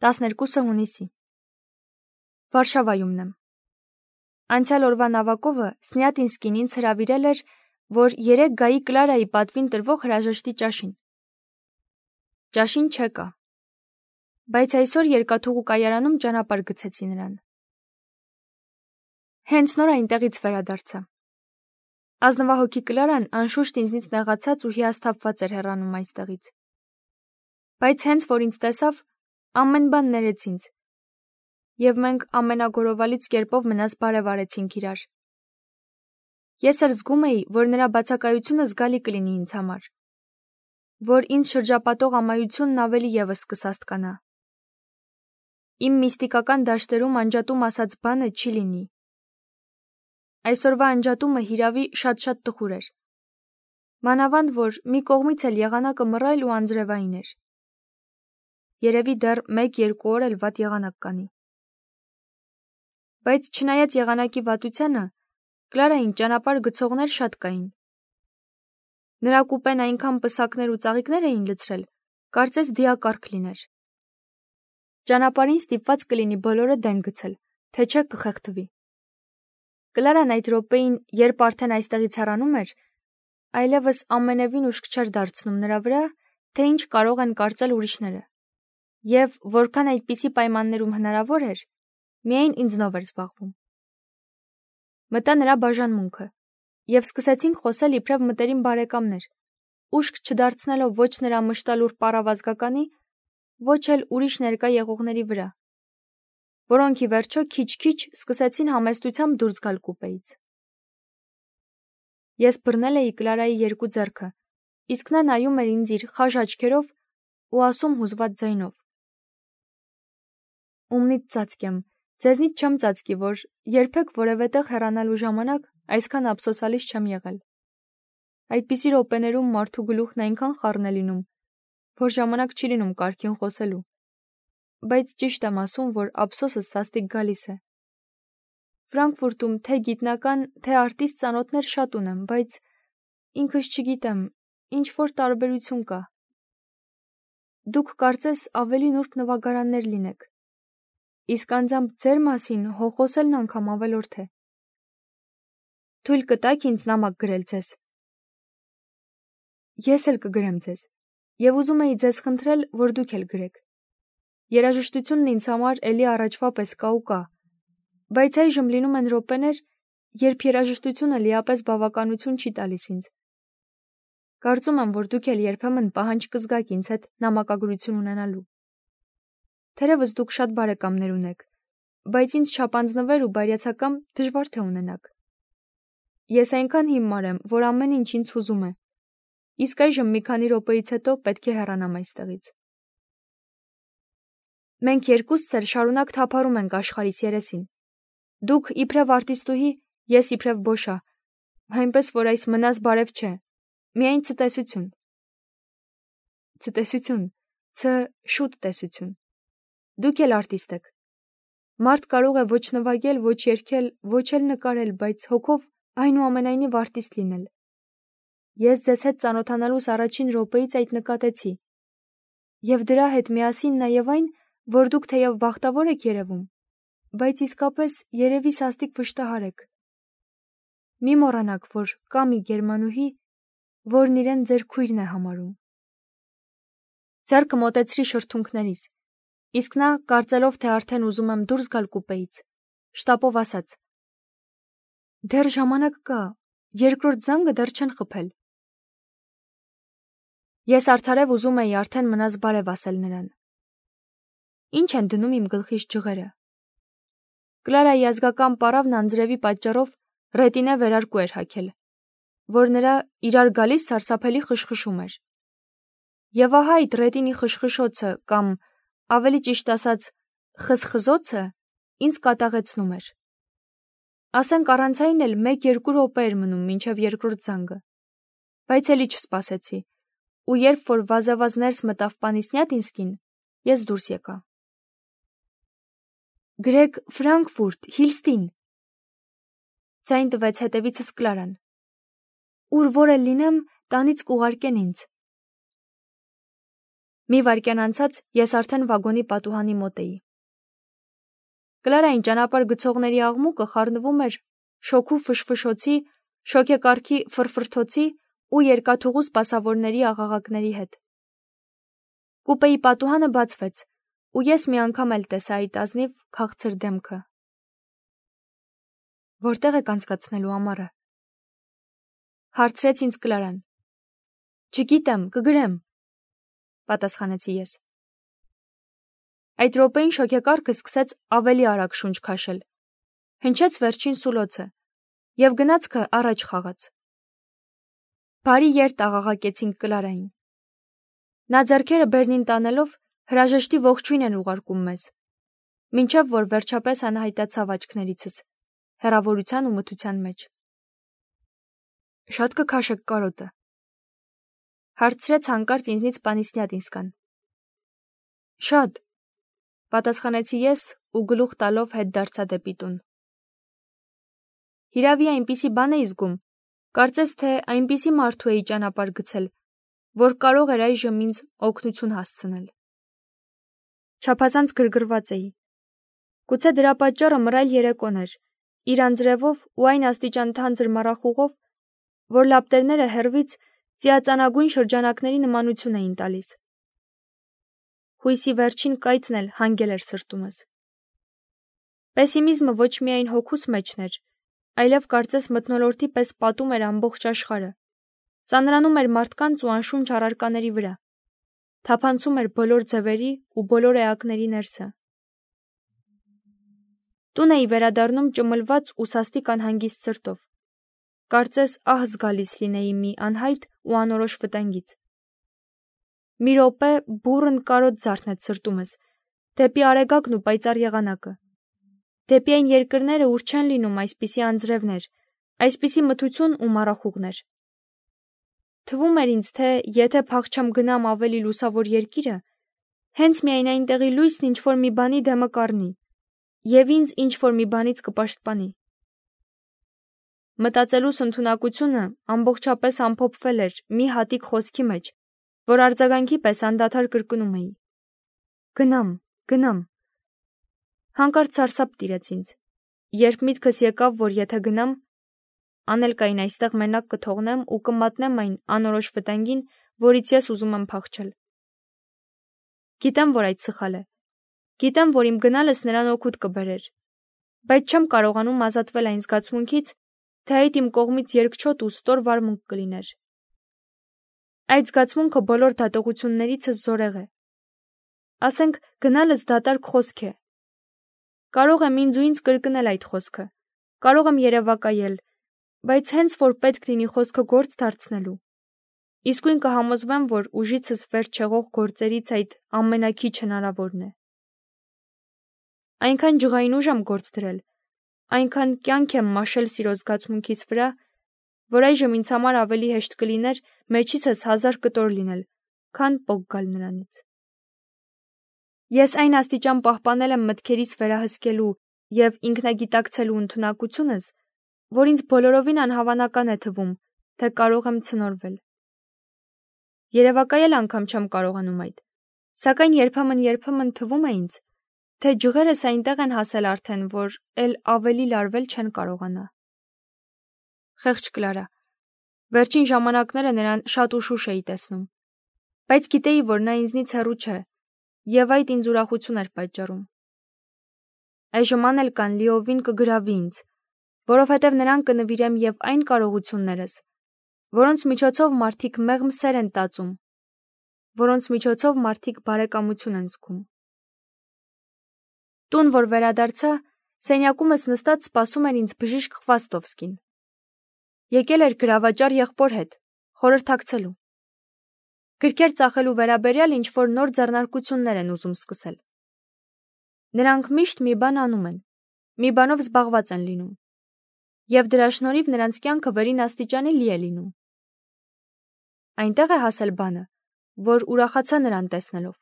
12 հունիսի։ Վարշավայումն եմ։ Անցյալ օրվա նավակովը Սնյատինսկին ինձ հրավիրել էր, որ 3 գայի Կլարայի պատվին տրվող հրաժեշտի ճաշին։ Ճաշին չեկա, բայց այսօր երկաթուղու կայարանում ճանապարհ գցեցի նրան։ Հենց նոր այնտեղից վերադարձա։ Ազնվահոգի Կլարան անշուշտ ինձնից նեղացած ու հիասթափված էր հեռանում այստեղից։ Բայց հենց որ ինձ տեսավ, ամեն բան ներեց ինձ, և մենք ամենագորովալից կերպով մնաց բարև արեցինք իրար։ Ես էլ զգում էի, որ նրա բացակայությունը զգալի կլինի ինձ համար, որ ինձ շրջապատող ամայությունն ավելի ևս կսաստկանա։ Իմ միստիկական դաշտերում անջատում ասած բանը չի լինի։ Այսօրվա անջատումը հիրավի շատ-շատ տխուր էր։ Մանավանդ, որ մի կողմից էլ եղանակը մռայլ ու անձրևային էր։ Երևի դեռ 1-2 օր էլ վատ եղանակ կանի։ Բայց չնայած եղանակի վատությանը, Կլարային ճանապարհ գցողներ շատ կային։ Նրա կուպեն այնքան պսակներ ու ծաղիկներ էին լցրել, կարծես դիակարգ լիներ։ Ճանապարհին ստիպված կլինի բոլորը դեն գցել, թե չէ կխեղդվի։ Կլարան այդ րոպեին, երբ արդեն այստեղից հեռանում էր, այլևս ամենևին ուշք չէր դարձնում նրա վրա, թե ինչ կարող են կարծել ուրիշները, և որքան այդպիսի պայմաններում հնարավոր էր, միայն ինձնով էր զբաղվում։ Մտա նրա բաժանմունքը, և սկսեցինք խոսել իբրև մտերիմ բարեկամներ, ուշք չդարձնելով ոչ նրա մշտալուր պառավազգականի, ոչ էլ ուրիշ ներկա եղողների վրա, որոնք ի վերջո քիչ-քիչ սկսեցին համեստությամբ դուրս գալ կուպեից։ Ես բռնել էի Կլարայի 2 ձեռքը, իսկ նա նայում էր ինձ իր խաժ աչքերով ու ասում հուզված ձայնով. «Ումնից ծածկեմ, ձեզնից չեմ ծածկի, որ երբեք որևէ տեղ հեռանալու ժամանակ այսքան ափսոսալից չեմ եղել։ Այդպիսի րոպեներում մարդու գլուխն այնքան խառն է լինում, որ ժամանակ չի լինում կարգին խոսելու, բայց ճիշտ եմ ասում, որ ափսոսս սաստիկ գալիս է։ Ֆրանկֆուրտում թե գիտնական, թե արտիստ ծանոթներ շատ ունեմ, բայց ինքս չգիտեմ, ինչ-որ տարբերություն կա։ Դուք կարծես ավելի նուրբ նվագարաններ լինեք, իսկ անձամբ ձեր մասին խոսելն անգամ ավելորդ է։ Թույլ կտաք ինձ նամակ գրել ձեզ։ Ես էլ կգրեմ ձեզ, և ուզում էի ձեզ խնդրել, որ դուք էլ գրեք։ Երաժշտությունն ինձ համար էլի առաջվա պես կա ու կա, բայց այժմ լինում են րոպեներ, երբ երաժշտությունը լիապես բավականություն չի տալիս ինձ։ Կարծում եմ, որ դուք էլ երբեմն պահանջ կզգաք ինձ հետ նամակագրություն ունենալու։ Թերևս դուք շատ բարեկամներ ունեք, բայց ինձ չափանձնվեր ու բարյացակամ դժվար թե ունենաք։ Ես այնքան հիմար եմ, որ ամեն ինչ ինձ հուզում է, իսկ այժմ մի քանի րոպեից հետո պետք է հեռանամ այստեղից։ Մենք երկուսս էլ շարունակ թափառում ենք աշխարհիս երեսին։ Դուք իբրև արտիստուհի, ես իբրև բոշա, այնպես որ այս մնաս բարև չէ, միայն ցտեսություն։ Ցտեսություն, շուտ տեսություն։ Դուք էլ արտիստ եք։ Մարդ կարող է ոչ նվագել, ոչ երգել, ոչ էլ նկարել, բայց հոգով այնուամենայնիվ արտիստ լինել։ Ես ձեզ հետ ծանոթանալուս առաջին րոպեից այդ նկատեցի։ Եվ դրա հետ միասին նաև այն, որ դուք թեև բախտավոր եք երևում, բայց իսկապես երևի սաստիկ վշտահար եք։ Մի մոռանաք, որ կա մի գերմանուհի, որն իրեն ձեր քույրն է համարում։ Ձեռքը մոտեցրի շրթունքներիս, իսկ նա, կարծելով, թե արդեն ուզում եմ դուրս գալ կուպեից, շտապով ասաց. «Դեռ ժամանակ կա, երկրորդ զանգը դեռ չեն խփել»։ Ես արդարև ուզում էի արդեն մնաս բարև ասել նրան։ Ինչ են դնում իմ գլխիս ջղերը։ Կլարայի ազգական պառավն անձրևի պատճառով ռետինե վերարկու էր հագել, որ նրա իրար գալիս սարսափելի խշխշում էր։ Եվ ահա այդ ռետինի խշխշոցը կամ, ավելի ճիշտ ասած, խզխզոցը ինձ կատաղեցնում էր։ Ասենք առանց այն էլ 1-2 րոպե էր մնում մինչև երկրորդ զանգը, բայց էլի չսպասեցի, ու երբ որ վազավազ ներս մտավ պանի Սնյատինսկին, ես դուրս եկա։ Գրեք Ֆրանկֆուրտ, Հիլստին, ձայն տվեց հետևիցս Կլարան։ Ուր որ էլ լինեմ, տանից կուղարկեն ինձ։ Մի վայրկյան անցած ես արդեն վագոնի պատուհանի մոտ էի։ Կլարային ճանապարհ գցողների աղմուկը խառնվում էր շոգու ֆշֆշոցի, շոգեկառքի ֆրֆրթոցի ու երկաթուղու սպասավորների աղաղակների հետ։ Կուպեի պատուհանը բացվեց, ու ես մի անգամ էլ տեսա այդ ազնիվ քաղցր դեմքը։ Որտեղ եք անցկացնելու ամառը, հարցրեց ինձ Կլարան։ Չգիտեմ, կգրեմ, պատասխանեցի ես։ Այդ րոպեին շոգեկառքը սկսեց ավելի արագ շունչ քաշել, հնչեց վերջին սուլոցը և գնացքը առաջ խաղաց։ Բարի երթ աղաղակեցինք Կլարային։ Նա ձեռքերը բերնին տանելով հրաժեշտի ողջույն են ուղարկում մեզ, մինչև որ վերջապես անհայտացավ աչքներիցս, հեռավորության ու մթության մեջ։ Շատ կքաշեք կարոտը, հարցրեց հանկարծ ինձնից Պանիսյադինսկան։ Շատ, պատասխանեցի ես ու գլուխ տալով հետ դարձա դեպի տուն։ Հիրավի այնպիսի բան էի զգում, կարծես թե այնպիսի մարդու էի ճանապարհ գցել, որ կարող էր այժմ ինձ օգնություն հասցնել։ Չափազանց գրգռված էի։ Գուցե դրա պատճառը մռայլ երեկոն էր, իր անձրևով ու այն աստիճան թանձր մառախուղով, որ լապտերները հեռվից ծիածանագույն շրջանակների նմանություն էին տալիս։ Հույսի վերջին կայծն էլ հանգել էր սրտումս։ Պեսիմիզմը ոչ միայն հոգուս մեջն էր, այլև կարծես մթնոլորտի պես պատում էր ամբողջ աշխարհը, ծանրանում էր մարդկանց ու անշունչ առարկաների վրա, թափանցում էր բոլոր ձևերի ու բոլոր էակների ներսը։ Տուն էի վերադառնում ճմլված ու սաստիկ անհանգիստ սրտով, կարծես ահ զգալիս լինեի մի անհայտ ու անորոշ վտանգից։ Մի րոպե բուռն կարոտ զարթնեց սրտումս, դեպի արեգակն ու պայծառ եղանակը, դեպի այն երկրները, ուր չեն լինում այսպիսի անձրևներ, այսպիսի մթություն ու մառախուղներ։ Թվում էր ինձ, թե եթե փախչամ գնամ ավելի լուսավոր երկիրը, հենց միայն այնտեղի լույսն ինչ-որ մի բանի դեմը կառնի, և ինձ ինչ-որ մի բանից կպաշտպանի։ Մտածելուս ընդունակությունը ամբողջապես ամփոփվել էր մի հատիկ խոսքի մեջ, որ արձագանքի պես անդադար կրկնում էի. Գնամ։ Հանկարծ սարսափ տիրեց ինձ, երբ միտքս եկավ, որ եթե գնամ, Անելկային այստեղ մենակ կթողնեմ ու կմատնեմ այն անորոշ վտանգին, որից ես ուզում եմ փախչել։ Գիտեմ, որ այդ սխալ է։ Գիտեմ, որ իմ գնալս նրան օգուտ կբերեր, բայց չեմ կարողանում ազատվել այն զգացմունքից, թե այդ իմ կողմից երկչոտ ու ստոր վարմունք կլիներ։ Այդ զգացմունքը բոլոր դատողություններիցս զորեղ է։ Ասենք, գնալս դատարկ խոսք է։ Կարող եմ ինձ ու ինձ կրկնել այդ խոսքը, կարող եմ երևակայել, բայց հենց որ պետք լինի խոսքը գործ դարձնելու, իսկույն կհամոզվեմ, որ ուժիցս վերջ չեղող գործերից այդ ամենաքիչ հնարավորն է։ Այնքան ջղային ուժ եմ գործ դրել, այնքան կյանք եմ մաշել սիրո զգացմունքիս վրա, որ այժմ ինձ համար ավելի հեշտ կլիներ մեջիցս 1000 կտոր լինել, քան պոկ գալ նրանից։ Ես այն աստիճան պահպանել եմ մտքերիս վերահսկելու և ինքնագիտակցելու ընդունակությունս, որ ինձ բոլորովին անհավանական է թվում, թե կարող եմ ցնորվել։ Երևակայել անգամ չեմ կարողանում այդ, սակայն երբեմն թվում է ինձ, թե ջղերս այնտեղ են հասել արդեն, որ էլ ավելի լարվել չեն կարողանա։ Խեղճ Կլարա, վերջին ժամանակները նրան շատ ուշուշ էի տեսնում, բայց գիտեի, որ նա ինձնից հեռու չէ, և այդ ինձ ուրախություն էր պատճառում։ Այժմ Անելկան լիովին կգրավի ինձ, որովհետև նրան կնվիրեմ և այն կարողություններս, որոնց միջոցով մարդիկ մեղմ սեր են տածում, որոնց միջոցով մարդիկ բարեկամություն են զգում։ Տուն, որ վերադարձա, սենյակումս նստած սպասում էր ինձ բժիշկ Խվաստովսկին։ Եկել էր գրավաճառ եղբոր հետ, խորհրդակցելու։ Գրքեր ծախելու վերաբերյալ ինչ-որ նոր ձեռնարկություններ են ուզում սկսել։ Նրանք միշտ մի բան անում են, մի բանով զբաղված են լինում, և դրա շնորհիվ նրանց կյանքը վերին աստիճանի լի է լինում։ Այնտեղ է հասել բանը, որ ուրախացա նրան տեսնելով։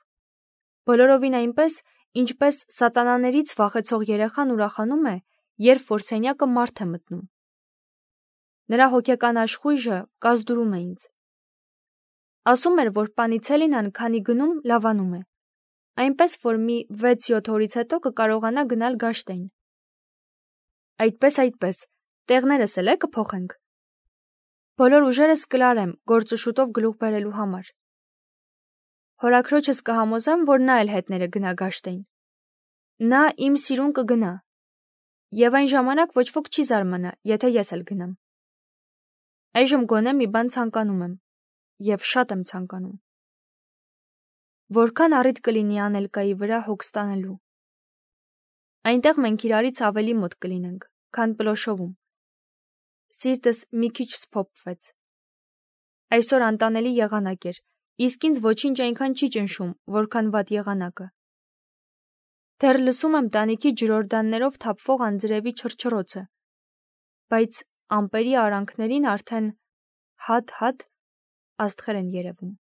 Բոլորովին այնպես, ինչպես սատանաներից վախեցող երեխան ուրախանում է, երբ որ սենյակը մարդ է մտնում։ Նրա հոգեկան աշխույժը կազդուրում է ինձ։ Ասում էր, որ Պանիցելինան քանի գնում լավանում է, այնպես որ մի 6-7 օրից հետո կկարողանա գնալ Գաշտեին։ Այդպես, տեղներս էլ է կփոխենք։ Բոլոր ուժերս կլարեմ գործը շուտով գլուխ բերելու համար։ Հորաքրոջս կհամոզեմ, որ նա էլ հետները գնա Գաշտեին։ Նա իմ սիրուն կգնա։ Եվ այն ժամանակ ոչ ոք չի զարմանա, եթե ես էլ գնամ։ Այժմ գոնե մի բան ցանկանում եմ, եւ շատ եմ ցանկանում։ Որքան առիթ կլինի Անելկայի վրա հոգ ստանալու։ Այնտեղ մենք իրարից ավելի մոտ կլինենք, քան Պլոշովում։ Սիրտս մի քիչ սփոփվեց։ Այսօր անտանելի եղանակ էր, իսկ ինձ ոչինչ այնքան չի ճնշում, որքան վատ եղանակը։ Դեռ լսում եմ տանիքի ջրորդաններով թափվող անձրևի չռչռոցը, բայց ամպերի արանքներին արդեն հատ աստղեր են երևում։